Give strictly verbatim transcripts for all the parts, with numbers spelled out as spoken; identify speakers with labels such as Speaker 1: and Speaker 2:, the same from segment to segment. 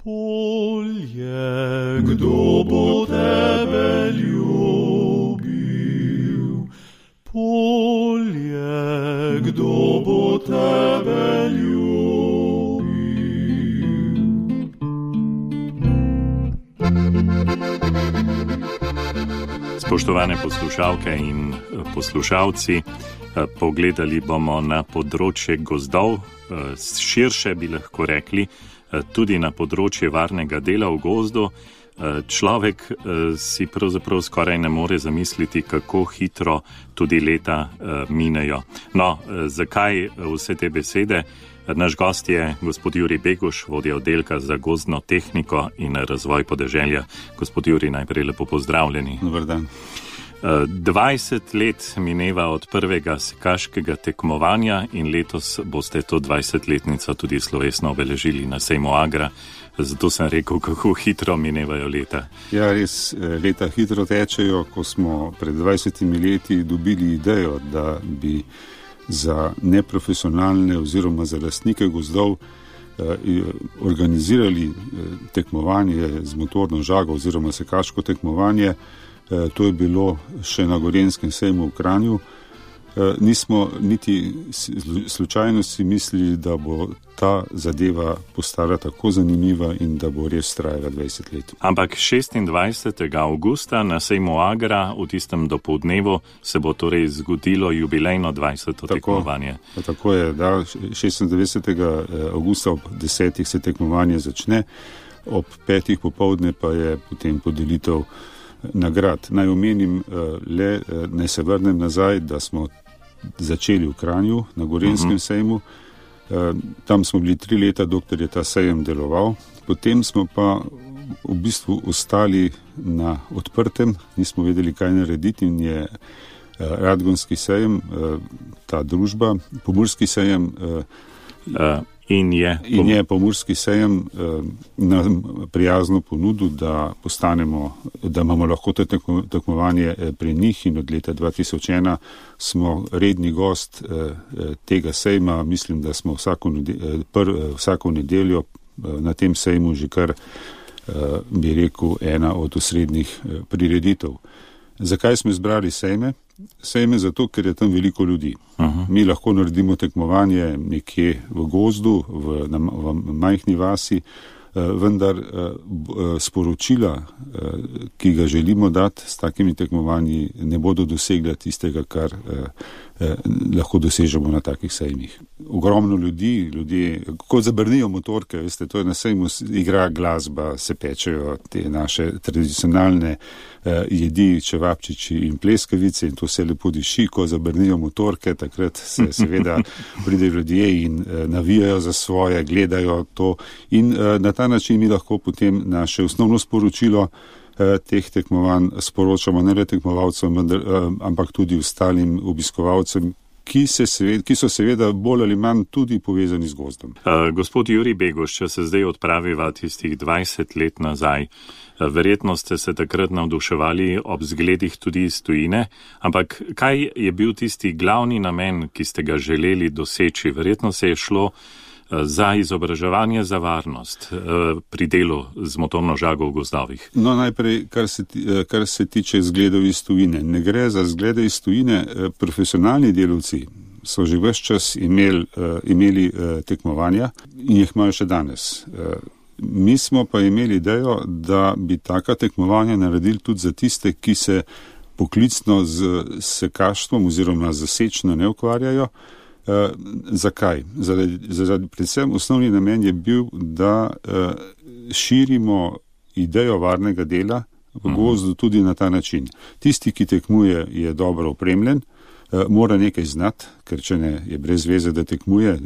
Speaker 1: Polje, kdo bo tebe ljubil? Polje, kdo bo tebe ljubil?
Speaker 2: Spoštovane poslušalke in poslušalci, pogledali bomo na področje gozdov, širše bi lahko rekli, tudi na področje varnega dela v gozdu. Človek si pravzaprav skoraj ne more zamisliti, kako hitro tudi leta minejo. No, zakaj vse te besede? Naš gost je gospod Jurij Beguš, vodja oddelka za gozdno tehniko in razvoj podeželja. Gospod Jurij, najprej lepo pozdravljeni.
Speaker 3: Dober dan.
Speaker 2: dvajset let mineva od prvega sekaškega tekmovanja in letos boste to dvajsetletnico tudi slovesno obeležili na sejmu Agra. Zato sem rekel, kako hitro minevajo leta.
Speaker 3: Ja, res, leta hitro tečejo. Ko smo pred dvajsetimi leti dobili idejo, da bi za neprofesionalne oziroma za lastnike gozdov organizirali tekmovanje z motorno žago oziroma sekaško tekmovanje. To je bilo še na Gorenjskem sejmu v Kranju. Nismo niti slučajno si mislili, da bo ta zadeva postala tako zanimiva in da bo res trajala dvajset let.
Speaker 2: Ampak šestindvajsetega avgusta na sejmu Agra v tistem dopoldnevu se bo torej zgodilo jubilejno dvajseto tekmovanje.
Speaker 3: Tako je, da šestindvajsetega avgusta ob desetih se tekmovanje začne, ob petih popoldne pa je potem podelitev nagrad. Naj omenim le, naj se vrnem nazaj, da smo začeli v Kranju na Gorenjskem sejmu. Tam smo bili tri leta, dokler je ta sejem deloval. Potem smo pa v bistvu ostali na odprtem, nismo vedeli, kaj narediti, in je Radgonski sejem, ta družba, Pomurski sejem,
Speaker 2: uh. In je,
Speaker 3: in je Pomurski sejem eh, nam prijazno ponudil, da postanemo, da imamo lahko to tekmovanje pri njih, in od leta dva tisoč ena smo redni gost eh, tega sejma. Mislim, da smo vsako, nedeljo, pr, vsako nedeljo eh, na tem sejmu že kar, eh, bi rekel, ena od osrednjih eh, prireditev. Zakaj smo izbrali sejme? Sejme zato, ker je tam veliko ljudi. Aha. Mi lahko naredimo tekmovanje nekje v gozdu, v, na, v majhni vasi, vendar sporočila, ki ga želimo dati s takimi tekmovanji, ne bodo dosegla tistega, kar lahko dosežemo na takih sejmih. Ogromno ljudi, ljudje, kot zabrnijo motorke, veste, to je na sejmu, igra glasba, se pečejo te naše tradicionalne jedi, čevapčiči in pleskavice, in to se lepo diši. Ko zabrnijo motorke, takrat se seveda pridejo ljudje in navijajo za svoje, gledajo to, in na ta način mi lahko potem naše osnovno sporočilo teh tekmovanj sporočamo ne le tekmovalcem, ampak tudi ostalim obiskovalcem, ki, se seveda, ki so seveda bolj ali manj tudi povezani z gozdom.
Speaker 2: Uh, gospod Jurij Beguš, če se zdaj odpraviva tistih dvajset let nazaj, verjetno ste se takrat navduševali ob zgledih tudi iz tujine, ampak kaj je bil tisti glavni namen, ki ste ga želeli doseči? Verjetno se je šlo za izobraževanje za varnost pri delu z motorno žago v gozdovih.
Speaker 3: No, najprej, kar se, kar se tiče zgledov iz tujine. Ne gre za zglede iz tujine. Profesionalni delavci so že ves čas imeli, imeli tekmovanja in jih imajo še danes. Mi smo pa imeli idejo, da bi taka tekmovanja naredili tudi za tiste, ki se poklicno z sekaštvom oziroma z sečno ne ukvarjajo. Uh, zakaj? Zaradi, zaradi predvsem osnovni namen je bil, da uh, širimo idejo varnega dela v gozdu tudi na ta način. Tisti, ki tekmuje, je dobro opremljen, uh, mora nekaj znati, ker če ne, je brez veze, da tekmuje, uh,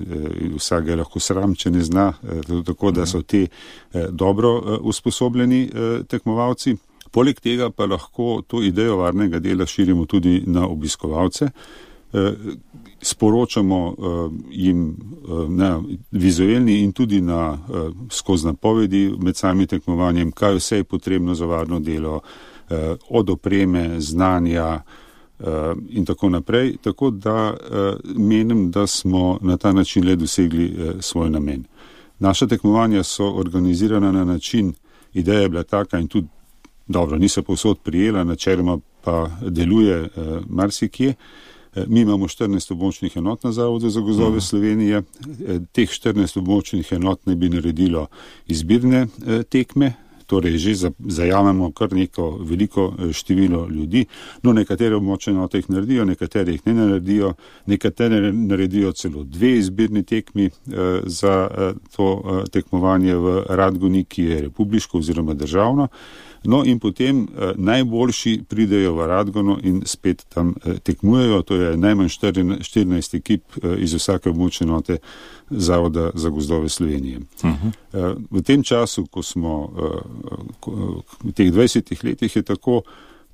Speaker 3: vsak je lahko sram, če ne zna, uh, tako da so ti uh, dobro uh, usposobljeni uh, tekmovalci. Poleg tega pa lahko to idejo varnega dela širimo tudi na obiskovalce. Sporočamo uh, jim uh, na vizualni in tudi na, uh, skozi napovedi med samim tekmovanjem, kaj vse je potrebno za varno delo, uh, od opreme, znanja uh, in tako naprej. Tako da uh, menim, da smo na ta način le dosegli uh, svoj namen. Naša tekmovanja so organizirana na način, ideja je bila taka in tudi dobro, niso povsod prijela, načeloma pa deluje eh, marsikje. Eh, mi imamo štirinajst območnih enot na Zavodu za gozdove uh-huh. Slovenije. Eh, teh štirinajst območnih enot ne bi naredilo izbirne eh, tekme, torej že zajamemo kar neko veliko število ljudi. No, nekatere območne enote jih naredijo, nekatere jih ne naredijo, nekatere naredijo celo dve izbirni tekmi eh, za eh, to eh, tekmovanje v Radgoni, ki je republiško oziroma državno. No in potem eh, najboljši pridejo v Radgono in spet tam eh, tekmujejo, to je najmanj štirinajst ekip eh, iz vsake območne enote Zavoda za gozdove Slovenije. Uh-huh. Eh, v tem času, ko smo eh, ko, v teh dvajsetih letih je tako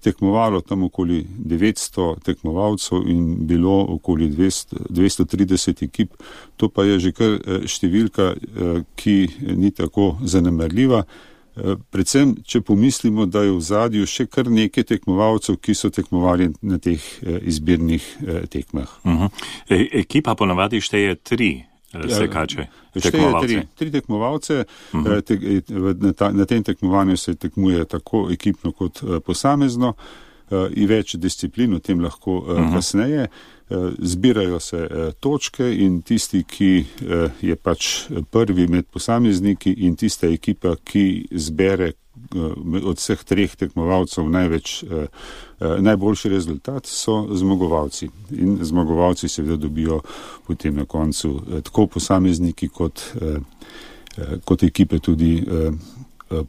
Speaker 3: tekmovalo tam okoli devetsto tekmovalcev in bilo okoli dvesto, dvesto trideset ekip, to pa je že kar eh, številka, eh, ki ni tako zanemarljiva. Predvsem, če pomislimo, da je v zadju še kar nekaj tekmovalcev, ki so tekmovali na teh izbirnih tekmah.
Speaker 2: Uh-huh. E, ekipa ponavadi šteje tri sekače, tekmovalce.
Speaker 3: Tri, tri tekmovalce, uh-huh. te, na, ta, na tem tekmovanju se tekmuje tako ekipno kot posamezno in več disciplin, o tem lahko uh-huh. kasneje. Zbirajo se točke in tisti, ki je pač prvi med posamezniki in tista ekipa, ki zbere od vseh treh tekmovalcev največ, najboljši rezultat, so zmagovalci. In zmagovalci seveda dobijo potem na koncu tako posamezniki kot, kot ekipe tudi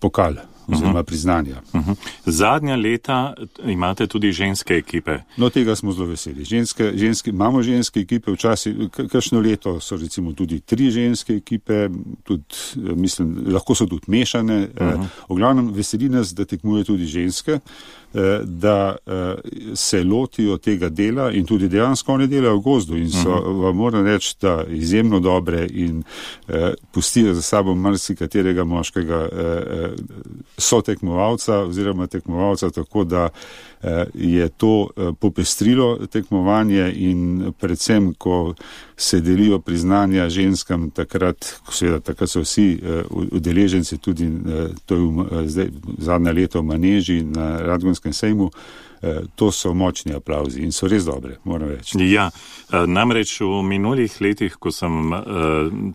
Speaker 3: pokal oziroma priznanja.
Speaker 2: Uh-huh. Zadnja leta imate tudi ženske ekipe.
Speaker 3: No, tega smo zelo veseli. Ženske, ženske, imamo ženske ekipe, včasih, kakšno leto so recimo tudi tri ženske ekipe, tudi, mislim, lahko so tudi mešane. Uh-huh. V glavnem veseli nas, da tekmuje tudi ženske, da se lotijo tega dela in tudi dejansko one delajo v gozdu in so, uh-huh. vam moram reči, da izjemno dobre in pustijo za sabo marsikaterega moškega so tekmovalca oziroma tekmovalca, tako da je to popestrilo tekmovanje in predvsem, ko se delijo priznanja ženskam, takrat, seveda, takrat so vsi udeleženci tudi, to je zdaj zadnja leta v Maneži na Radgonskem sejmu, to so močni aplavzi in so res dobre, moram reči.
Speaker 2: Ja, namreč v minulih letih, ko sem uh,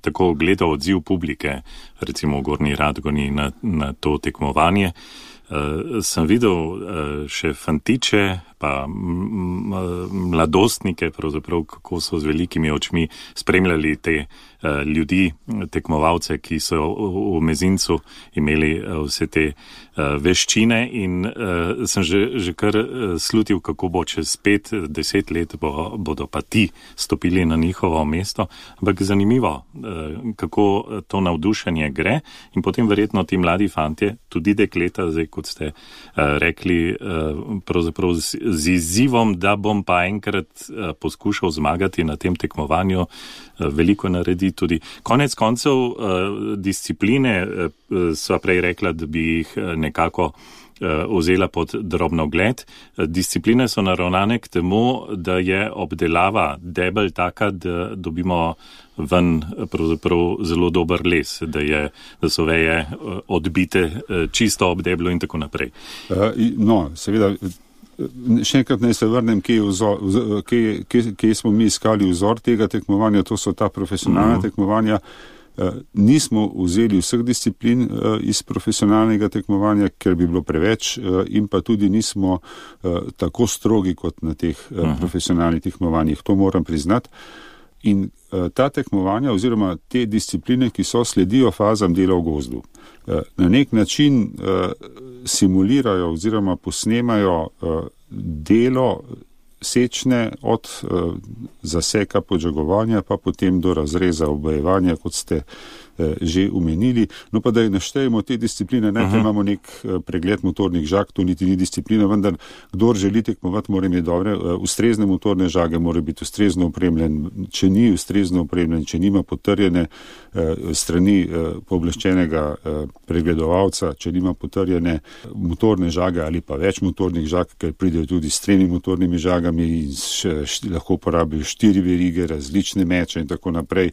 Speaker 2: tako gledal odziv publike, recimo v Gornji Radgoni na, na to tekmovanje, uh, sem videl uh, še fantiče, pa m, m, mladostnike, pravzaprav kako so z velikimi očmi spremljali te uh, ljudi, tekmovalce, ki so v, v mezincu imeli uh, vse te uh, veščine in uh, sem že, že kar uh, slutil, kako bo čez pet, deset let bo, bodo pa ti stopili na njihovo mesto. Ampak zanimivo, uh, kako to navdušenje gre in potem verjetno ti mladi fantje, tudi dekleta, zdaj kot ste uh, rekli, uh, pravzaprav z, z izzivom, da bom pa enkrat uh, poskušal zmagati na tem tekmovanju, uh, veliko naredi tudi. Konec koncev uh, discipline, uh, sva prej rekla, da bi jih uh, nekako uh, vzela pod drobnogled. Uh, discipline so naravnane k temu, da je obdelava debel taka, da dobimo ven pravzaprav zelo dober les, da, je, da so veje uh, odbite uh, čisto ob deblu in tako naprej.
Speaker 3: Uh, no, seveda, še enkrat naj se vrnem, kje, vzor, kje, kje, kje smo mi iskali vzor tega tekmovanja, to so ta profesionalna uh-huh. tekmovanja. Uh, nismo vzeli vseh disciplin uh, iz profesionalnega tekmovanja, ker bi bilo preveč uh, in pa tudi nismo uh, tako strogi kot na teh uh, uh-huh. profesionalnih tekmovanjih. To moram priznati. In uh, ta tekmovanja oziroma te discipline, ki so sledijo fazam dela v gozdu, uh, na nek način uh, simulirajo oziroma posnemajo uh, delo sečne od uh, zaseka podžagovanja pa potem do razreza obojevanja, kot ste uh, že omenili. No pa da naštejemo te discipline, najprej uh-huh. imamo nek uh, pregled motornih žag, to niti ni disciplina, vendar kdor želi tekmovati, mora imeti dobre, uh, ustrezne motorne žage, mora biti ustrezno opremljen, če ni ustrezno opremljen, če nima potrjene uh, strani uh, pooblaščenega uh, pregledovalca, če nima potrjene motorne žage ali pa več motornih žag, ker pridejo tudi s tremi motornimi žagami in še, še, lahko uporabijo štiri verige, različne meče in tako naprej.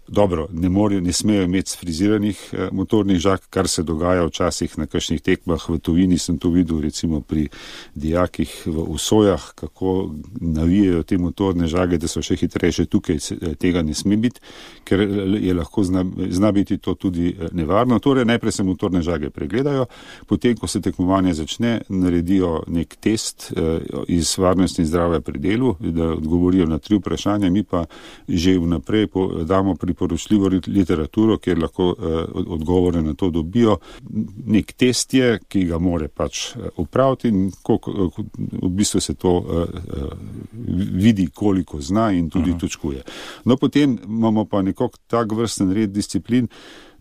Speaker 3: Dobro, ne morejo, ne smejo imeti sfriziranih eh, motornih žag, kar se dogaja včasih na kakšnih tekmah v tujini. Sem to videl recimo pri dijakih v Usojah, kako navijajo te motorne žage, da so še hitrejše. Tukaj tega ne sme biti, ker je lahko zna, zna biti to tudi nevarno. Torej, najprej se motorne žage pregledajo, potem, ko se tekmovanje začne, naredijo nek test eh, iz varnosti in zdravja pri delu, da odgovorijo na tri vprašanja, mi pa že vnaprej po, damo pri poročljivo literaturo, kjer lahko eh, odgovore na to dobijo. Nek test je, ki ga more pač upraviti in koliko, v bistvu se to eh, vidi, koliko zna in tudi uh-huh. točkuje. No, potem imamo pa nekako tak vrsten red disciplin,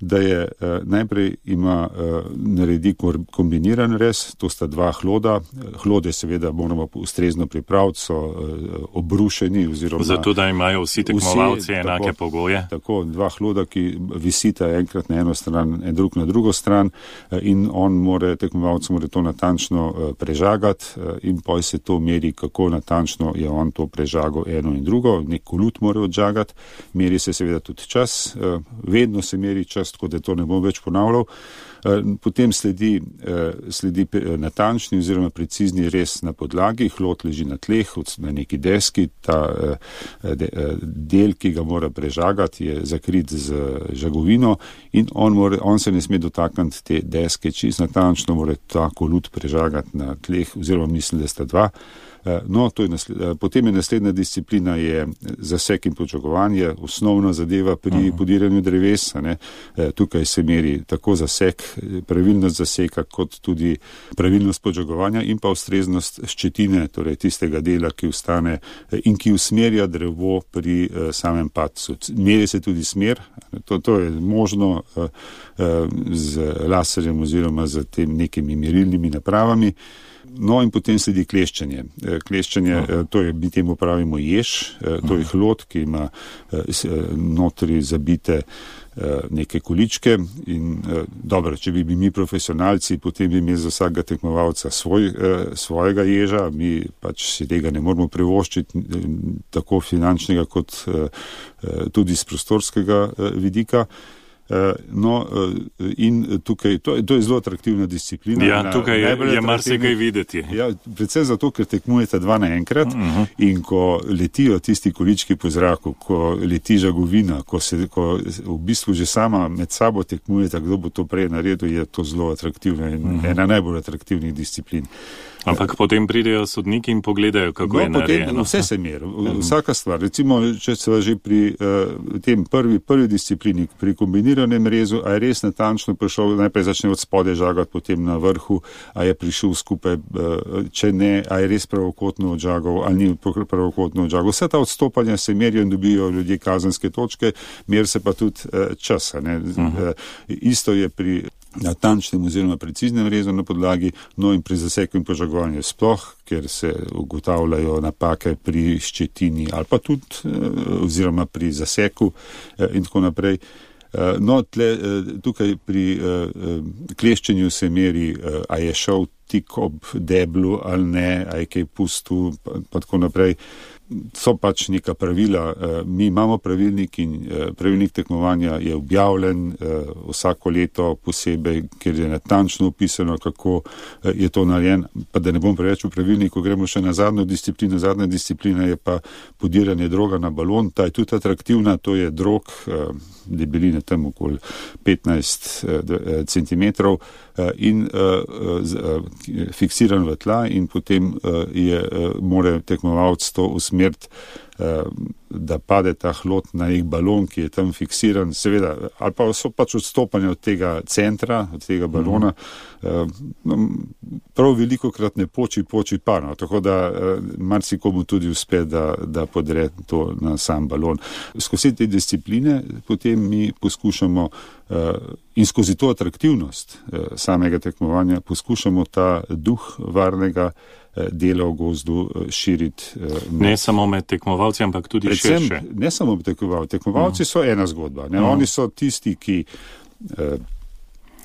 Speaker 3: da je eh, najprej ima eh, naredi kombiniran rez, to sta dva hloda. Hlode seveda moramo ustrezno pripraviti, so eh, obrušeni oziroma...
Speaker 2: Zato, da imajo vsi tekmovalci vsi, enake tako, pogoje.
Speaker 3: Tako, dva hloda, ki visita enkrat na eno stran, en drug na drugo stran eh, in on more, tekmovalc more to natančno eh, prežagati eh, in poj se to meri, kako natančno je on to prežagal eno in drugo. Nek kolut more odžagati, meri se seveda tudi čas, eh, vedno se meri čas, tako da to ne bom več ponavljal. Potem sledi, sledi natančni oziroma precizni rez na podlagi, hlod leži na tleh, na neki deski, ta del, ki ga mora prežagati, je zakrit z žagovino in on, more, on se ne sme dotakniti te deske, čist natančno mora ta kolut prežagati na tleh, oziroma mislim, da sta dva. No, to je nasled, potem je naslednja disciplina je zasek in počakovanje, osnovna zadeva pri uh-huh. podiranju drevesa. Ne. Tukaj se meri tako zasek, pravilnost zaseka, kot tudi pravilnost počakovanja in pa ustreznost ščetine, torej tistega dela, ki ostane in ki usmerja drevo pri uh, samem padcu. Meri se tudi smer, to, to je možno uh, uh, z laserjem oziroma z tem nekimi merilnimi napravami. No in potem sledi kleščenje. Kleščenje, to je, mi temu pravimo jež, to je hlod, ki ima notri zabite neke količke in dobro, če bi bili mi profesionalci, potem bi imeli za vsakega tekmovalca svoj, svojega ježa, mi pač si tega ne moramo privoščiti, tako finančnega kot tudi z prostorskega vidika. No, in tukaj, to je, to je zelo atraktivna disciplina.
Speaker 2: Ja, tukaj je, je marsikaj videti.
Speaker 3: Ja, predvsem zato, ker tekmujete dva naenkrat uh-huh. in ko letijo tisti količki po zraku, ko leti žagovina, ko se ko v bistvu že sama med sabo tekmujete, kdo bo to prej naredil, je to zelo atraktivna in uh-huh. ena najbolj atraktivnih disciplin.
Speaker 2: Ampak potem pridejo sodniki in pogledajo, kako no, je narejeno.
Speaker 3: Vse se meri, vsaka stvar. Recimo, če se že pri uh, tem prvi, prvi disciplini, pri kombiniranem rezu, a je res natančno prišel, najprej začne od spode žagati, potem na vrhu, a je prišel skupaj, uh, če ne, a je res pravokotno odžagal, ali ni pravokotno odžagal. Vse ta odstopanja se merijo in dobijo ljudje kazenske točke, meri se pa tudi uh, časa. Ne? Uh-huh. Uh, isto je pri natančnem oziroma preciznem rezu na podlagi, no in pri zaseku in požagovanju sploh, ker se ugotavljajo napake pri ščetini ali pa tudi oziroma pri zaseku in tako naprej. No, tle, tukaj pri kleščenju se meri, a je šel tik ob deblu ali ne, a je kaj pustil, pa, pa tako naprej. So pač neka pravila. Mi imamo pravilnik in pravilnik tekmovanja je objavljen vsako leto posebej, ker je natančno opisano, kako je to narejen. Pa da ne bom preveč v pravilniku, gremo še na zadnjo disciplino. Zadnja disciplina je pa podiranje droga na balon. Ta je tudi atraktivna, to je drog debeline tam okoli petnajst centimetrov in fiksiran v tla in potem je, mora tekmovalc to usmeriti, da pade ta hlod na nek balon, ki je tam fiksiran, seveda, ali pa so pač odstopanja od tega centra, od tega balona. Mm. Prav veliko krat ne poči, poči pa, no, tako da marsikomu tudi uspe, da, da podre to na sam balon. Skozi te discipline potem mi poskušamo in skozi to atraktivnost samega tekmovanja poskušamo ta duh varnega dela v gozdu širiti.
Speaker 2: Ne samo med tekmovalci, ampak tudi
Speaker 3: predvsem,
Speaker 2: širše.
Speaker 3: Ne samo med tekmovalci. Tekmovalci uh-huh. so ena zgodba. Ne? Uh-huh. Oni so tisti, ki uh,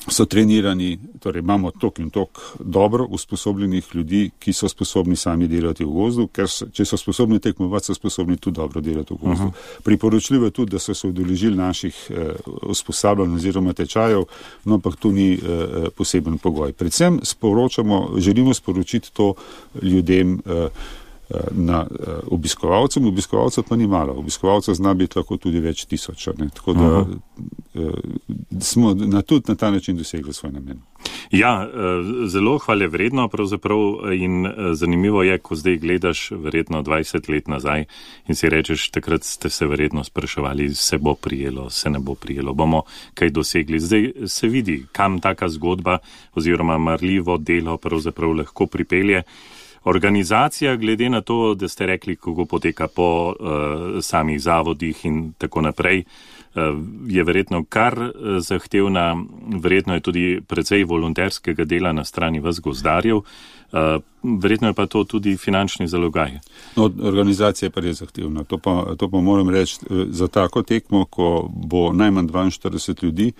Speaker 3: so trenirani, torej imamo tok in tok dobro usposobljenih ljudi, ki so sposobni sami delati v gozdu, ker so, če so sposobni tekmovati, so sposobni tudi dobro delati v gozdu. Uh-huh. Priporočljivo je tudi, da so se udeležili naših eh, usposabljanj oziroma tečajev, no ampak to ni eh, poseben pogoj. Predvsem sporočamo, želimo sporočiti to ljudem, eh, na uh, obiskovalcem, obiskovalcev pa ni malo. Obiskovalcev zna biti lahko tudi več tisoč. Ne? Tako da uh, smo na, tudi na ta način dosegli svoj namen.
Speaker 2: Ja, zelo hvale vredno pravzaprav in zanimivo je, ko zdaj gledaš verjetno dvajset let nazaj in si rečeš, takrat ste se verjetno spraševali, se bo prijelo, se ne bo prijelo, bomo kaj dosegli. Zdaj se vidi, kam taka zgodba oziroma marljivo delo pravzaprav lahko pripelje. Organizacija, glede na to, da ste rekli, kako poteka po uh, samih zavodih in tako naprej, uh, je verjetno kar uh, zahtevna, verjetno je tudi precej volonterskega dela na strani vas gozdarjev, uh, verjetno je pa to tudi finančni zalogaj.
Speaker 3: No, organizacija je pa res zahtevna. To pa, to pa moram reči, za tako tekmo, ko bo najmanj dvainštirideset ljudi,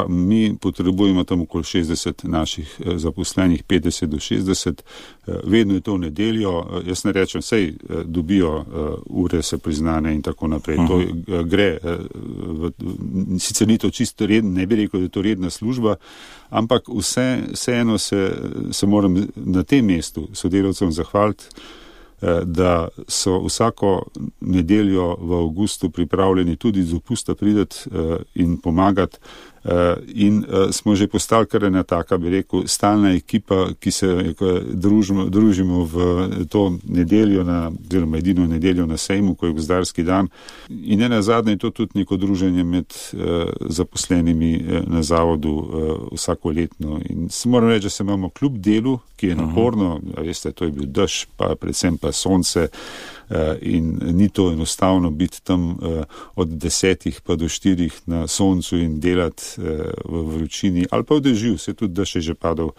Speaker 3: mi potrebujemo tam okoli šestdeset naših zaposlenih, petdeset do šestdeset, vedno je to v nedeljo, jaz ne rečem, sej dobijo ure se priznane in tako naprej. To gre, sicer ni to čisto redno, ne bi rekel, da je to redna služba, ampak vse, vseeno se, se moram na tem mestu sodelavcem zahvaliti, da so vsako nedeljo v avgustu pripravljeni tudi z dopusta prideti in pomagati. In smo že postali kar ena taka, bi rekel, stalna ekipa, ki se družimo, družimo v to nedeljo, na, oziroma edino nedeljo na sejmu, ko je gozdarski dan. In ne nazadnje je to tudi neko druženje med zaposlenimi na zavodu vsakoletno. In moram reči, da se imamo kljub delu, ki je naporno, a veste, to je bil dež, pa predvsem pa sonce, in ni to enostavno biti tam od desetih pa do štirih na soncu in delati v vročini, ali pa v dežju, se tudi dež je že padal.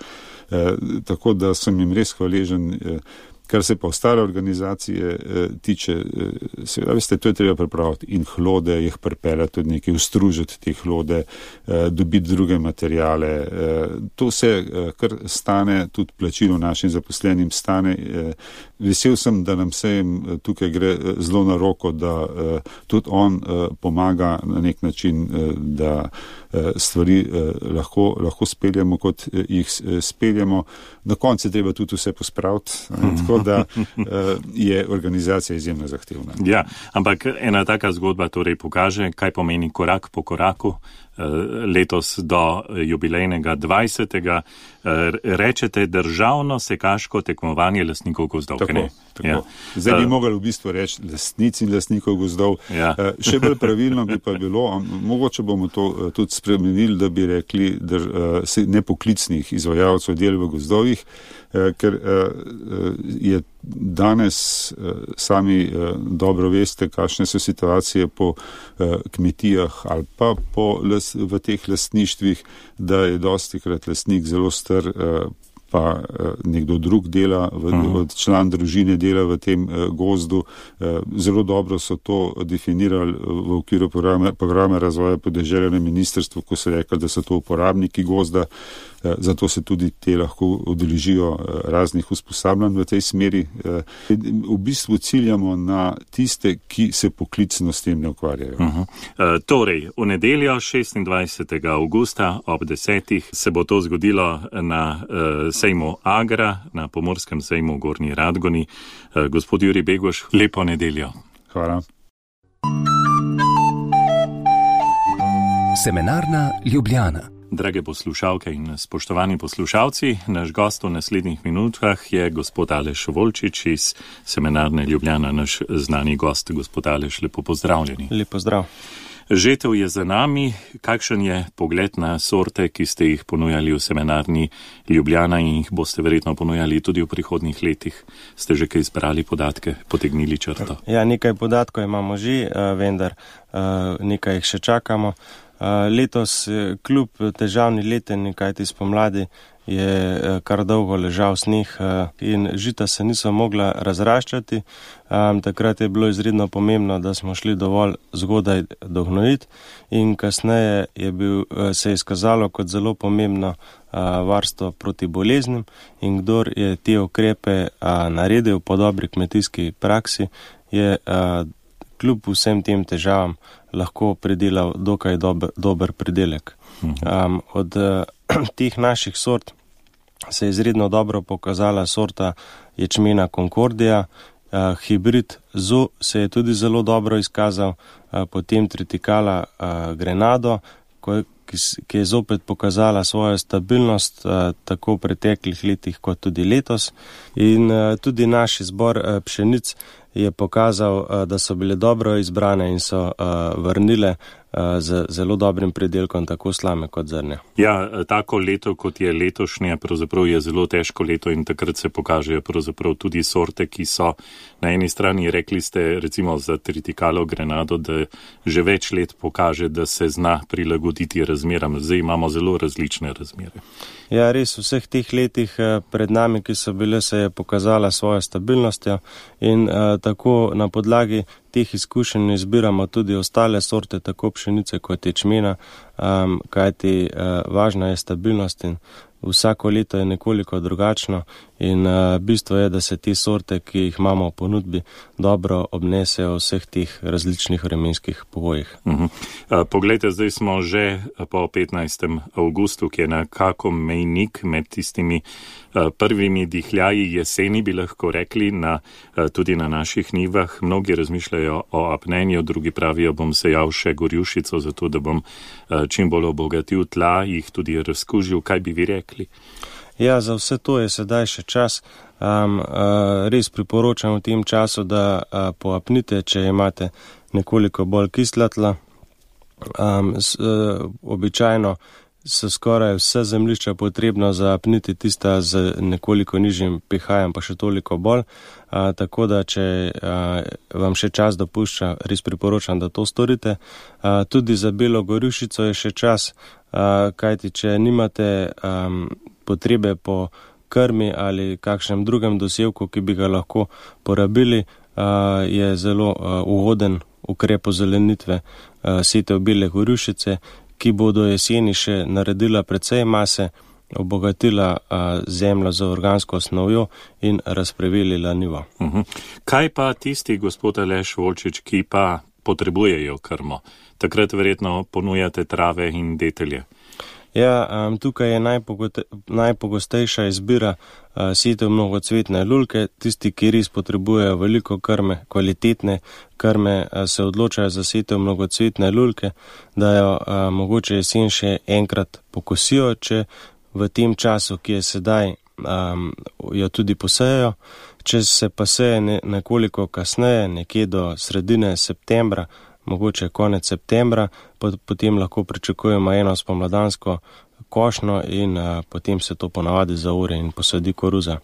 Speaker 3: Tako da sem jim res hvaležen. Kar se pa ostale organizacije eh, tiče, eh, seveda, veste, to je treba pripraviti in hlode, jih pripeljati tudi nekaj, ustružiti te hlode, eh, dobiti druge materijale. Eh, to se eh, kar stane, tudi plačilo našim zaposlenim stane. Eh, vesel sem, da nam se tukaj gre zelo na roko, da eh, tudi on eh, pomaga na nek način, eh, da eh, stvari eh, lahko, lahko speljamo, kot eh, jih eh, speljamo. Na koncu je treba tudi vse pospraviti. Eh, da je organizacija izjemno zahtevna.
Speaker 2: Ja, ampak ena taka zgodba torej pokaže, kaj pomeni korak po koraku. Letos do jubilejnega dvajsetega rečete državno sekaško tekmovanje lastnikov gozdov.
Speaker 3: Tako, tako. Ja. Zdaj bi mogli v bistvu reči lastnici in lastnikov gozdov. Ja. Še bolj pravilno bi pa bilo, mogoče bomo to tudi spremenili, da bi rekli nepoklicnih izvajalcev del v gozdovih, ker je danes sami dobro veste, kakšne so situacije po kmetijah ali pa po, v teh lastništvih, da je dostikrat lastnik zelo star, pa nekdo drug dela, v, član družine dela v tem gozdu. Zelo dobro so to definirali v okviru programa, programa razvoja podeželja na ministrstvu, ko so rekli, da so to uporabniki gozda, zato se tudi te lahko udeležijo raznih usposabljanj v tej smeri. V bistvu ciljamo na tiste, ki se poklicno s tem ne ukvarjajo.
Speaker 2: Uh-huh. E, torej, v nedeljo šestindvajsetega avgusta ob desetih se bo to zgodilo na uh, sejmu Agra, na Pomorskem sejmu v Gornji Radgoni. Uh, gospod Jurij Beguš, lepo nedeljo.
Speaker 3: Hvala.
Speaker 4: Semenarna Ljubljana.
Speaker 2: Drage poslušalke in spoštovani poslušalci, naš gost v naslednjih minutah je gospod Aleš Volčič iz Semenarne Ljubljana, naš znani gost. Gospod Aleš, lepo pozdravljeni.
Speaker 5: Lep pozdrav.
Speaker 2: Žetev je za nami. Kakšen je pogled na sorte, ki ste jih ponujali v Semenarni Ljubljana in jih boste verjetno ponujali tudi v prihodnjih letih? Ste že kaj izbrali podatke, potegnili črto?
Speaker 5: Ja, nekaj podatkov imamo že, vendar nekaj jih še čakamo. Letos kljub težavni leteni, kajti spomladi je kar dolgo ležal sneh in žita se niso mogla razraščati. Takrat je bilo izredno pomembno, da smo šli dovolj zgodaj dognojiti in kasneje je bil, se je izkazalo kot zelo pomembno varstvo proti boleznim in kdor je te ukrepe naredil po dobri kmetijski praksi, je kljub vsem tem težavam lahko pridelal dokaj dober, dober pridelek. Um, od uh, teh naših sort se je izredno dobro pokazala sorta ječmena Concordia, uh, hibrid Zo se je tudi zelo dobro izkazal, uh, potem tritikala uh, Grenado, ko, ki, ki je zopet pokazala svojo stabilnost uh, tako v preteklih letih kot tudi letos. In uh, tudi naš izbor uh, pšenic je pokazal, uh, da so bile dobro izbrane in so uh, vrnile z zelo dobrim pridelkom tako slame kot zrnja.
Speaker 2: Ja, tako leto, kot je letošnje, pravzaprav je zelo težko leto in takrat se pokažejo pravzaprav tudi sorte, ki so na eni strani, rekli ste recimo za tritikalo Grenado, da že več let pokaže, da se zna prilagoditi razmeram. Zdaj imamo zelo različne razmere.
Speaker 5: Ja, res, v vseh teh letih pred nami, ki so bile, se je pokazala svojo stabilnostjo in uh, tako na podlagi teh izkušenj izbiramo tudi ostale sorte, tako pšenice kot ječmena, um, kajti uh, važna je stabilnost in vsako leto je nekoliko drugačno in uh, bistvo je, da se te sorte, ki jih imamo v ponudbi, dobro obnesejo v vseh teh različnih vremenskih pogojih.
Speaker 2: Uh-huh. Uh, poglejte, zdaj smo že po petnajstem avgustu, ki je nekako mejnik med tistimi uh, prvimi dihljaji jeseni, bi lahko rekli, na, uh, tudi na naših nivah. Mnogi razmišljajo o apnenju, drugi pravijo, bom sejal še gorjušico, zato da bom uh, čim bolj obogatil tla, jih tudi razkužil. Kaj bi vi rekli?
Speaker 5: Ja, za vse to je sedaj še čas. Um, uh, res priporočam v tem času, da uh, poapnite, če imate nekoliko bolj kisla tla. Um, s, uh, običajno so skoraj vse zemljišča potrebno zaapniti, tista z nekoliko nižjim pH-jem pa še toliko bolj. Uh, tako da, če uh, vam še čas dopušča, res priporočam, da to storite. Uh, tudi za belo gorjušico je še čas, uh, kajti če nimate um, potrebe po krmi ali kakšnem drugem dosevku, ki bi ga lahko porabili, uh, je zelo uh, ugoden ukrep ozelenitve uh, setev bele gorjušice, ki bodo jeseni še naredila precej mase, obogatila a, zemljo z organsko osnovjo in razprevelila nivo.
Speaker 2: Uh-huh. Kaj pa tisti, gospod Aleš Volčič, ki pa potrebujejo krmo? Takrat verjetno ponujate trave in detelje.
Speaker 5: Ja, um, tukaj je najpogote, najpogostejša izbira uh, setev mnogocvetne lulke. Tisti, ki res potrebujejo veliko krme, kvalitetne krme, uh, se odločajo za setev mnogocvetne lulke, da jo uh, mogoče jesen še enkrat pokosijo, če v tem času, ki je sedaj, um, jo tudi posejo. Če se pa seje ne, nekoliko kasneje, nekje do sredine septembra, mogoče konec septembra, potem lahko pričakujemo eno spomladansko košnjo in a, potem se to ponavadi zaore in posadi koruza.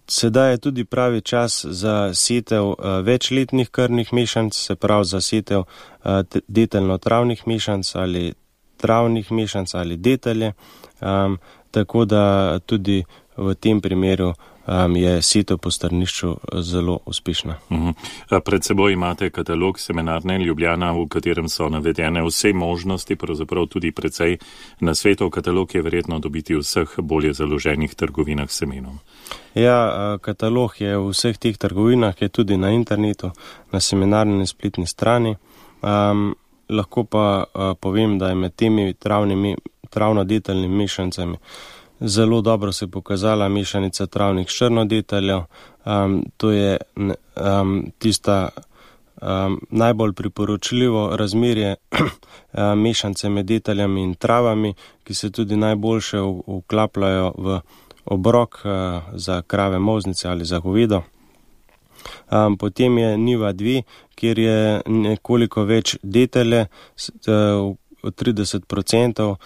Speaker 5: Sedaj je tudi pravi čas za setev a, večletnih krmnih mešanc, se pravi za setev a, deteljno-travnih mešanc ali travnih mešanc ali detelje, a, tako da tudi v tem primeru Um, je setev po strnišču zelo uspešna.
Speaker 2: Uh-huh. Pred seboj imate katalog Semenarne Ljubljana, v katerem so navedene vse možnosti, pravzaprav tudi precej nasvetov. Katalog je verjetno dobiti v vseh bolje založenih trgovinah s semenom.
Speaker 5: Ja, katalog je v vseh teh trgovinah, je tudi na internetu, na Semenarni spletni strani. Um, lahko pa uh, povem, da je med temi travnimi, travno-deteljnimi mešancami zelo dobro se je pokazala mešanica travnih s črnodeteljev. Um, to je um, tista um, najbolj priporočljivo razmerje um, mešance med deteljami in travami, ki se tudi najboljše vklapljajo v obrok uh, za krave molznice ali za govedo. Um, potem je niva dve, kjer je nekoliko več detelje, uh, trideset procentov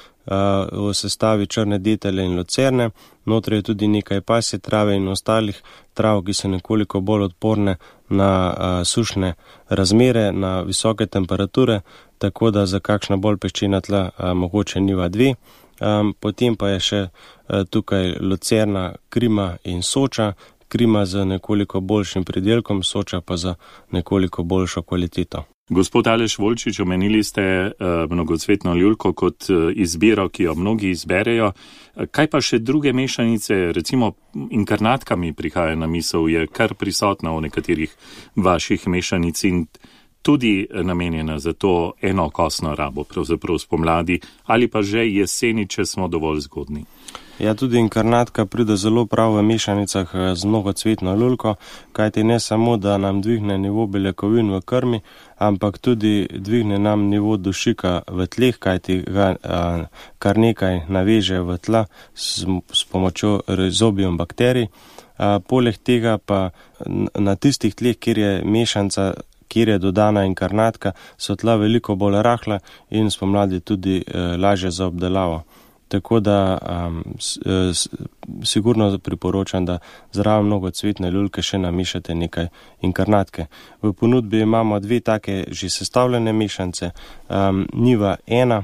Speaker 5: v sestavi črne detelje in lucerne. Notri je tudi nekaj pasje trave in ostalih trav, ki so nekoliko bolj odporne na a, sušne razmere, na visoke temperature, tako da za kakšna bolj peščena tla a, mogoče niva dve. Um, potem pa je še uh, tukaj Lucerna, Krima in Soča. Krima z nekoliko boljšim pridelkom, Soča pa za nekoliko boljšo kvaliteto.
Speaker 2: Gospod Aleš Volčič, omenili ste uh, mnogocvetno ljulko kot uh, izbiro, ki jo mnogi izberejo. Kaj pa še druge mešanice, recimo inkarnatka mi prihaja na misel, je kar prisotna v nekaterih vaših mešanic in tudi namenjena za to enokosno rabo, pravzaprav spomladi ali pa že jeseni, če smo dovolj zgodni.
Speaker 5: Ja, tudi inkarnatka pride zelo prav v mešanicah z mnogocvetno ljulko, kajti ne samo, da nam dvigne nivo beljakovin v krmi, ampak tudi dvigne nam nivo dušika v tleh, kajti ga a, kar nekaj naveže v tla s, s pomočjo rhizobium bakterij. A, poleg tega pa na tistih tleh, kjer je mešanca, kjer je dodana inkarnatka, so tla veliko bolj rahla in spomladi tudi e, lažje za obdelavo. Tako da um, s, s, sigurno priporočam, da zraven mnogocvetne ljulke še namišate nekaj inkarnatke. V ponudbi imamo dve take že sestavljene mešance. Um, Niva ena,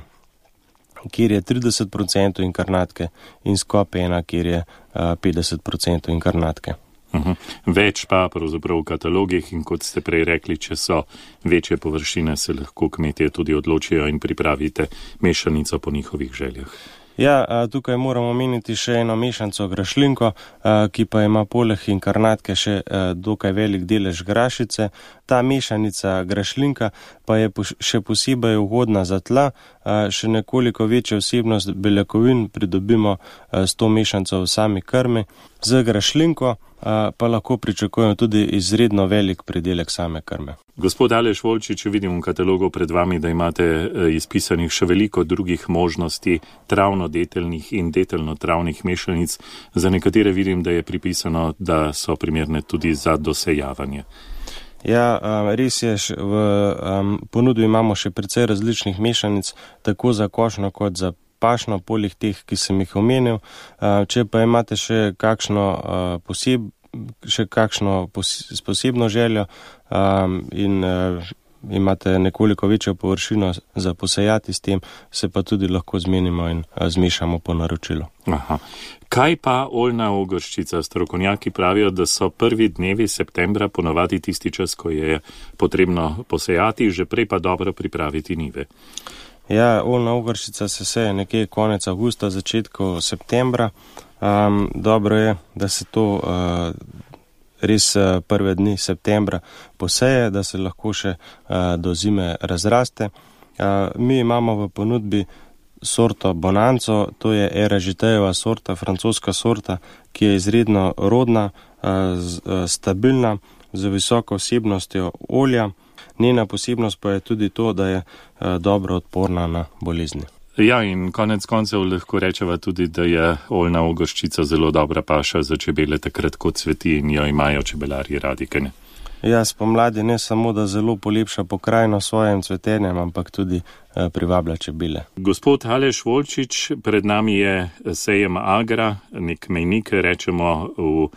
Speaker 5: kjer je trideset procentov inkarnatke in Skop ena, kjer je uh, petdeset procentov inkarnatke.
Speaker 2: Uhum. Več pa pravzaprav v katalogih in kot ste prej rekli, če so večje površine, se lahko kmetje tudi odločijo in pripravite mešanico po njihovih željah.
Speaker 5: Ja, tukaj moramo omeniti še eno mešanco grašlinko, ki pa ima poleg inkarnatke še dokaj velik delež grašice. Ta mešanica grašlinka pa je še posebej ugodna za tla, še nekoliko večjo vsebnost beljakovin pridobimo s to mešanco v sami krmi. Z grašlinko pa lahko pričakujemo tudi izredno velik pridelek same krme.
Speaker 2: Gospod Aleš Volčič, vidim v katalogu pred vami, da imate izpisanih še veliko drugih možnosti travno-deteljnih in deteljno-travnih mešanic. Za nekatere vidim, da je pripisano, da so primerne tudi za dosejavanje.
Speaker 5: Ja, res je, v ponudbi imamo še precej različnih mešanic, tako za košno kot za pašno, poleg teh, ki sem jih omenil. Če pa imate še kakšno poseb, še kakšno posebno željo um, in uh, imate nekoliko večjo površino za posejati s tem, se pa tudi lahko zmenimo in uh, zmešamo po naročilu.
Speaker 2: Aha. Kaj pa oljna ogrščica? Strokovnjaki pravijo, da so prvi dnevi septembra ponovadi tisti čas, ko je potrebno posejati, že prej pa dobro pripraviti njive.
Speaker 5: Ja, oljna ogrščica se seje nekje konec avgusta, začetku septembra. Um, dobro je, da se to uh, res uh, prve dni septembra poseje, da se lahko še uh, do zime razraste. Uh, mi imamo v ponudbi sorto Bonanzo, to je Eražitejeva sorta, francoska sorta, ki je izredno rodna, uh, z, uh, stabilna, z visoko vsebnostjo olja. Njena posebnost pa je tudi to, da je uh, dobro odporna na bolezni.
Speaker 2: Ja, in konec koncev lahko rečeva tudi, da je oljna ogrščica zelo dobra paša za čebele, takrat ko cveti in jo imajo čebelarji radi, kaj ne?
Speaker 5: Ja, spomladi ne samo, da zelo polepša pokrajino svojim cvetenjem, ampak tudi eh, privablja čebele.
Speaker 2: Gospod Aleš Volčič, pred nami je sejem Agra, nek mejnik, rečemo v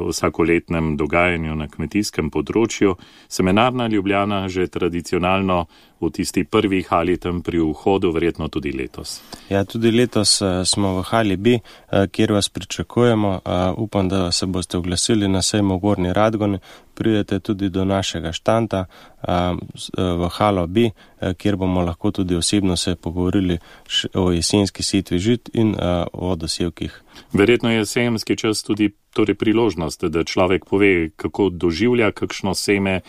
Speaker 2: vsakoletnem dogajanju na kmetijskem področju. Semenarna Ljubljana že tradicionalno v tisti prvi hali tam pri vhodu, verjetno tudi letos.
Speaker 5: Ja, tudi letos uh, smo v hali B, uh, kjer vas pričakujemo. Uh, upam, da se boste oglasili na sejmu Gornji Radgoni. Pridete tudi do našega štanta uh, v halo B, uh, kjer bomo lahko tudi osebno se pogovorili o jesenski setvi žit in uh, o dosevkih.
Speaker 2: Verjetno je sejemski čas tudi torej priložnost, da človek pove, kako doživlja kakšno seme,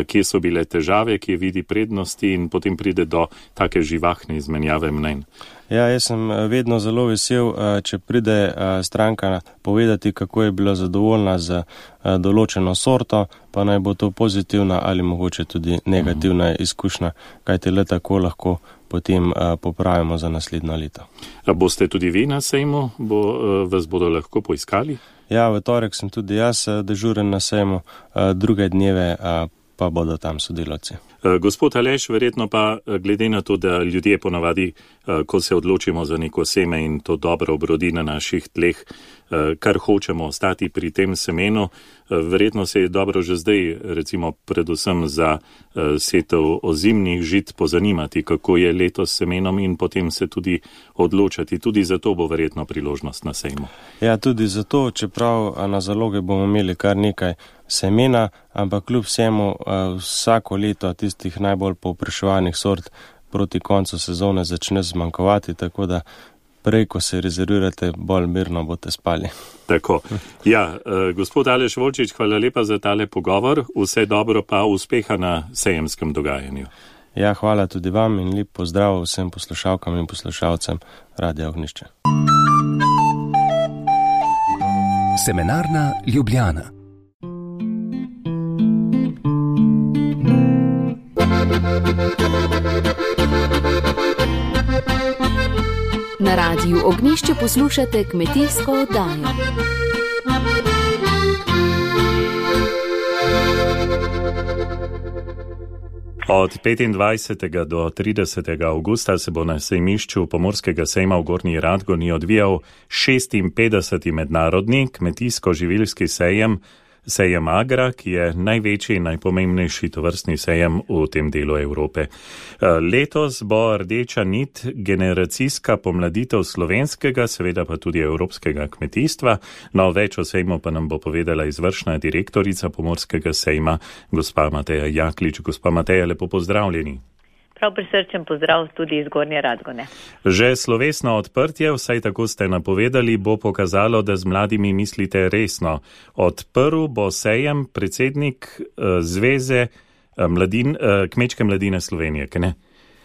Speaker 2: kje so bile težave, kje vidi prednosti in potem pride do take živahne izmenjave mnenj.
Speaker 5: Ja, jaz sem vedno zelo vesel, če pride stranka povedati, kako je bila zadovoljna z določeno sorto, pa naj bo to pozitivna ali mogoče tudi negativna uh-huh. izkušnja, kajte le tako lahko potem popravimo za naslednjo leto.
Speaker 2: A boste tudi vi na sejmu? Bo, vas bodo lahko poiskali?
Speaker 5: Ja, v torek sem tudi jaz dežuren na sejmu, druge dneve pa bodo tam sodelavci.
Speaker 2: Gospod Aleš, verjetno pa glede na to, da ljudje ponavadi, ko se odločimo za neko seme in to dobro obrodi na naših tleh, kar hočemo ostati pri tem semenu. Verjetno se je dobro že zdaj, recimo predvsem za setev ozimnih žit, pozanimati, kako je letos s semenom in potem se tudi odločati. Tudi za to bo verjetno priložnost na sejmu.
Speaker 5: Ja, tudi zato, čeprav na zaloge bomo imeli kar nekaj semena, ampak kljub vsemu vsako leto tistih najbolj povpraševanih sort proti koncu sezone začne zmanjkovati, tako da prej, ko se rezervirate, bolj mirno boste spali.
Speaker 2: Tako. Ja, eh, gospod Aleš Volčič, hvala lepa za tale pogovor. Vse dobro pa uspeha na sejemskem dogajanju.
Speaker 5: Ja, hvala tudi vam in lep pozdrav vsem poslušalkam in poslušalcem Radia Ognjišče.
Speaker 4: Semenarna Ljubljana.
Speaker 6: Na Radiju Ognjišče poslušate kmetijsko oddajo.
Speaker 2: Od petindvajsetega do tridesetega avgusta se bo na sejmišču Pomorskega sejma v Gornji Radgoni odvijal šestinpetdeseti mednarodni kmetijsko-živilski sejem, sejem Agra, ki je največji in najpomembnejši tovrstni sejem v tem delu Evrope. Letos bo rdeča nit generacijska pomladitev slovenskega, seveda pa tudi evropskega kmetijstva. No, več o sejmu pa nam bo povedala izvršna direktorica Pomorskega sejma, gospa Mateja Jaklič. Gospa Mateja, lepo pozdravljeni.
Speaker 7: Prav prisrčen pozdrav tudi iz Gornje Radgone.
Speaker 2: Že slovesno odprtje, vsaj tako ste napovedali, bo pokazalo, da z mladimi mislite resno. Odprl bo sejem predsednik uh, Zveze uh, mladin, uh, Kmečke mladine Slovenije, kaj ne?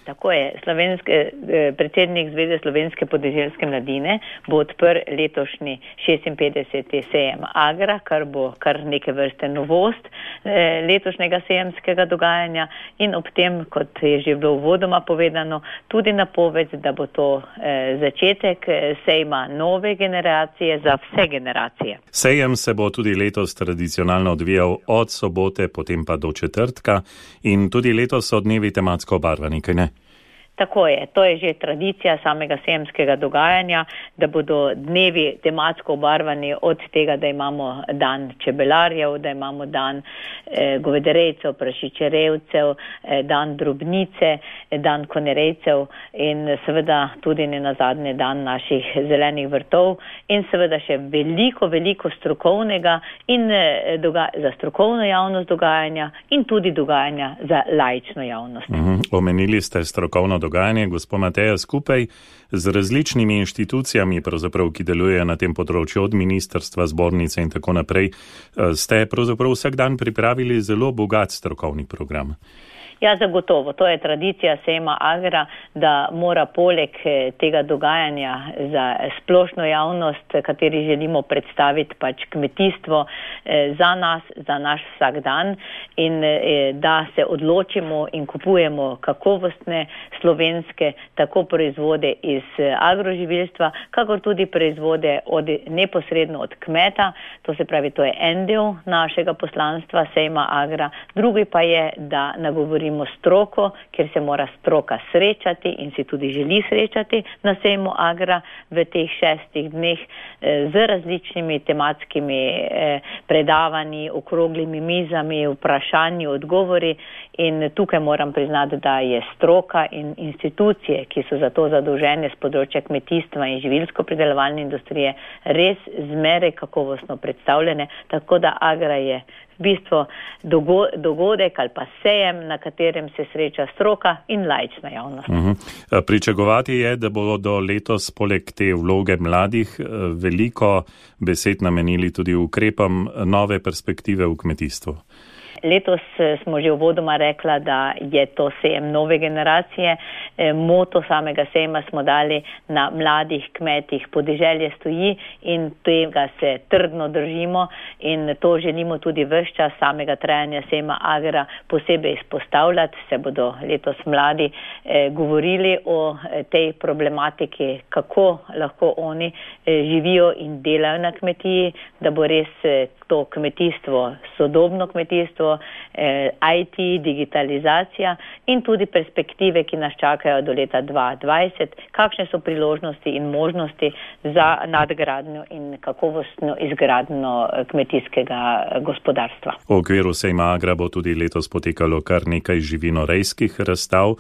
Speaker 7: Tako je, slovenske, predsednik Zveze slovenske podeželske mladine bo odprl letošnji šestinpetdeseti sejem Agra, kar bo kar neke vrste novost letošnjega sejemskega dogajanja in ob tem, kot je že bilo uvodoma povedano, tudi napoved, da bo to začetek sejma nove generacije za vse generacije.
Speaker 2: Sejem se bo tudi letos tradicionalno odvijal od sobote, potem pa do četrtka in tudi letos so dnevi tematsko obarvani, kaj ne?
Speaker 7: Tako je, to je že tradicija samega sejemskega dogajanja, da bodo dnevi tematsko obarvani od tega, da imamo dan čebelarjev, da imamo dan eh, govedarejcev, prašičerejcev, eh, dan drobnice, eh, dan konerejcev in seveda tudi ne nazadnje dan naših zelenih vrtov in seveda še veliko, veliko strokovnega in eh, doga- za strokovno javnost dogajanja in tudi dogajanja za laično javnost.
Speaker 2: Mhm. Omenili ste strokovno dogajanje, gospod Mateja, skupaj z različnimi inštitucijami, pravzaprav, ki delujejo na tem področju, od ministrstva, zbornice in tako naprej, ste pravzaprav vsak dan pripravili zelo bogat strokovni program.
Speaker 7: Ja, zagotovo. To je tradicija sejma Agra, da mora poleg tega dogajanja za splošno javnost, kateri želimo predstaviti pač kmetijstvo za nas, za naš vsak dan in da se odločimo in kupujemo kakovostne slovenske tako proizvode iz agroživilstva, kakor tudi proizvode od, neposredno od kmeta. To se pravi, to je en del našega poslanstva sejma Agra. Drugi pa je, da nagovorimo stroko, kjer se mora stroka srečati in si tudi želi srečati na sejmu Agra v teh šestih dneh z različnimi tematskimi predavanji, okroglimi mizami, vprašanji, odgovori in tukaj moram priznati, da je stroka in institucije, ki so za to zadolžene z področja kmetijstva in živilsko-pridelovalne industrije, res zmeraj kakovostno predstavljene, tako da Agra je v bistvu dogodek ali pa sejem, na katerem se sreča stroka in laična javnost.
Speaker 2: Uh-huh. Pričakovati je, da bodo letos poleg te vloge mladih veliko besed namenili tudi ukrepom nove perspektive v kmetijstvu.
Speaker 7: Letos smo že uvodoma rekla, da je to sejem nove generacije. Moto samega sejma smo dali na mladih kmetih podeželje stoji in tega se trdno držimo in to želimo tudi ves čas samega trajanja sejma Agra posebej izpostavljati. Se bodo letos mladi eh, govorili o tej problematiki, kako lahko oni eh, živijo in delajo na kmetiji, da bo res eh, to kmetijstvo, sodobno kmetijstvo, so eh, I T, digitalizacija in tudi perspektive, ki nas čakajo do leta dva tisoč dvajset, kakšne so priložnosti in možnosti za nadgradnjo in kakovostno izgradnjo kmetijskega gospodarstva.
Speaker 2: V okviru sejma Agra bo tudi letos potekalo kar nekaj živinorejskih razstav,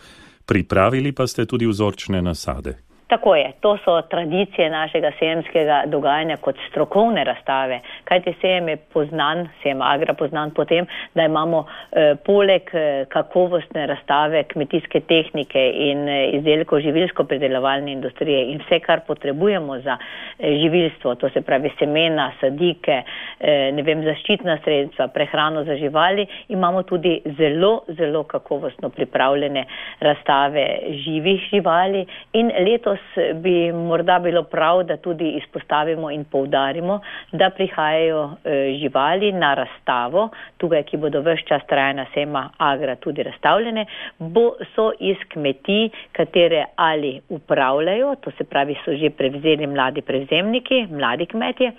Speaker 2: pripravili pa ste tudi vzorčne nasade.
Speaker 7: Tako je, to so tradicije našega sejemskega dogajanja kot strokovne razstave, kajti sejem je poznan, sejem Agra poznan potem, da imamo eh, poleg eh, kakovostne razstave kmetijske tehnike in eh, izdelkov živilsko-predelovalne industrije in vse, kar potrebujemo za eh, živilstvo, to se pravi semena, sadike, eh, ne vem, zaščitna sredstva, prehrano za živali, imamo tudi zelo, zelo kakovostno pripravljene razstave živih živali in letos bi morda bilo prav, da tudi izpostavimo in poudarimo, da prihajajo e, živali na razstavo, tukaj, ki bodo ves čas trajanja sejma Agra tudi razstavljene, bo, so iz kmetij, katere ali upravljajo, to se pravi so že prevzeli mladi prevzemniki, mladi kmetje,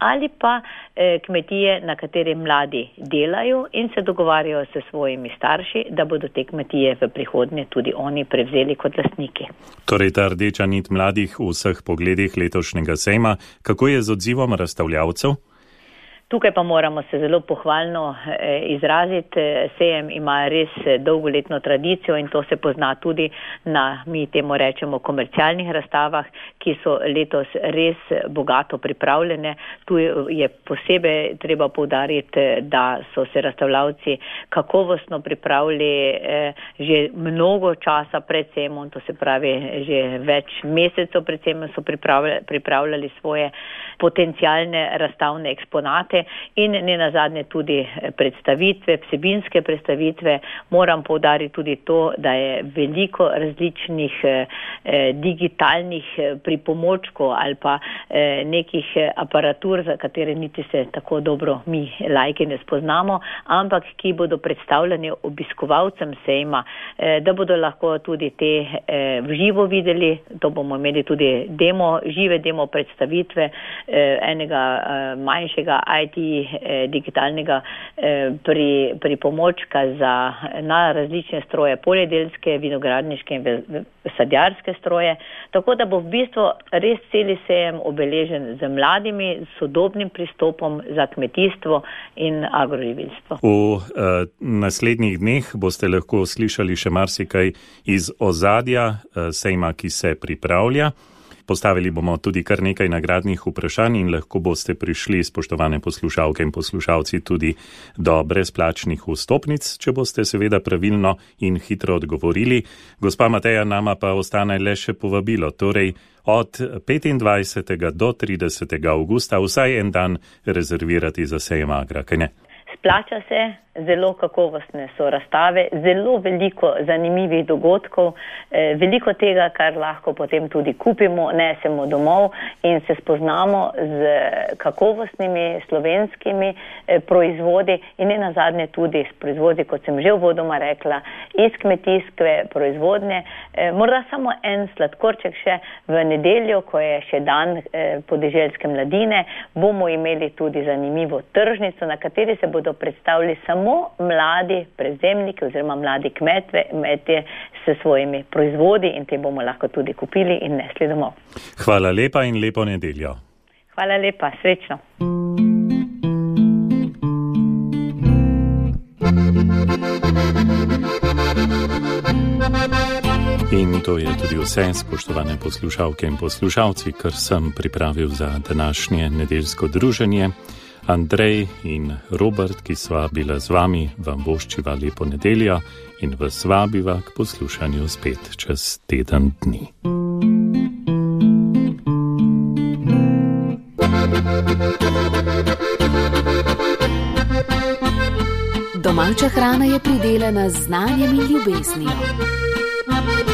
Speaker 7: ali pa eh, kmetije, na kateri mladi delajo in se dogovarjajo s svojimi starši, da bodo te kmetije v prihodnje tudi oni prevzeli kot lastniki.
Speaker 2: Torej ta rdeča nit mladih v vseh pogledih letošnjega sejma, kako je z odzivom razstavljavcev?
Speaker 7: Tukaj pa moramo se zelo pohvalno izraziti. Sejem ima res dolgoletno tradicijo in to se pozna tudi na, mi temu rečemo, komercialnih razstavah, ki so letos res bogato pripravljene. Tu je posebej treba poudariti, da so se razstavljavci kakovostno pripravili že mnogo časa pred sejmom, to se pravi že več mesecev pred sejmom so pripravljali, pripravljali svoje potencialne razstavne eksponate in ne nazadnje tudi predstavitve, vsebinske predstavitve. Moram poudariti tudi to, da je veliko različnih eh, digitalnih pripomočkov ali pa eh, nekih aparatur, za katere niti se tako dobro mi lajki ne spoznamo, ampak ki bodo predstavljeni obiskovalcem sejma, eh, da bodo lahko tudi te eh, v živo videli. To bomo imeli tudi demo, žive demo predstavitve eh, enega eh, manjšega I T eh, digitalnega eh, pri, pri pomočka za na različne stroje, poljedelske, vinogradniške in sadjarske stroje, tako da bo v bistvu res celi sejem obeležen z mladimi, sodobnim pristopom za kmetijstvo in agroživilstvo.
Speaker 2: V eh, naslednjih dneh boste lahko slišali še marsikaj iz ozadja eh, sejma, ki se pripravlja. Postavili bomo tudi kar nekaj nagradnih vprašanj in lahko boste prišli, spoštovane poslušalke in poslušalci, tudi do brezplačnih vstopnic, če boste seveda pravilno in hitro odgovorili. Gospa Mateja, nama pa ostane le še povabilo, torej od petindvajsetega do tridesetega avgusta vsaj en dan rezervirati za sejem Agra, kaj ne?
Speaker 7: Splača se, zelo kakovostne so razstave, zelo veliko zanimivih dogodkov, eh, veliko tega, kar lahko potem tudi kupimo, nesemo domov in se spoznamo z kakovostnimi slovenskimi eh, proizvodi in ne nazadnje tudi s proizvodi, kot sem že uvodoma rekla, iz kmetijske proizvodnje. Eh, morda samo en sladkorček še v nedeljo, ko je še dan eh, podeželske mladine, bomo imeli tudi zanimivo tržnico, na kateri se bodo predstavili samo mladi prevzemniki oziroma mladi kmetve, kmetje s svojimi proizvodi in te bomo lahko tudi kupili in nesli domov.
Speaker 2: Hvala lepa in lepo nedeljo.
Speaker 7: Hvala lepa, srečno.
Speaker 2: In to je tudi vse, spoštovane poslušalke in poslušalci, kar sem pripravil za današnje nedeljsko druženje. Andrej in Robert, ki sva bila z vami, vam voščiva lepo nedeljo in vas vabiva k poslušanju spet čez teden dni.
Speaker 6: Domača hrana je pridelana z znanjem in ljubeznijo.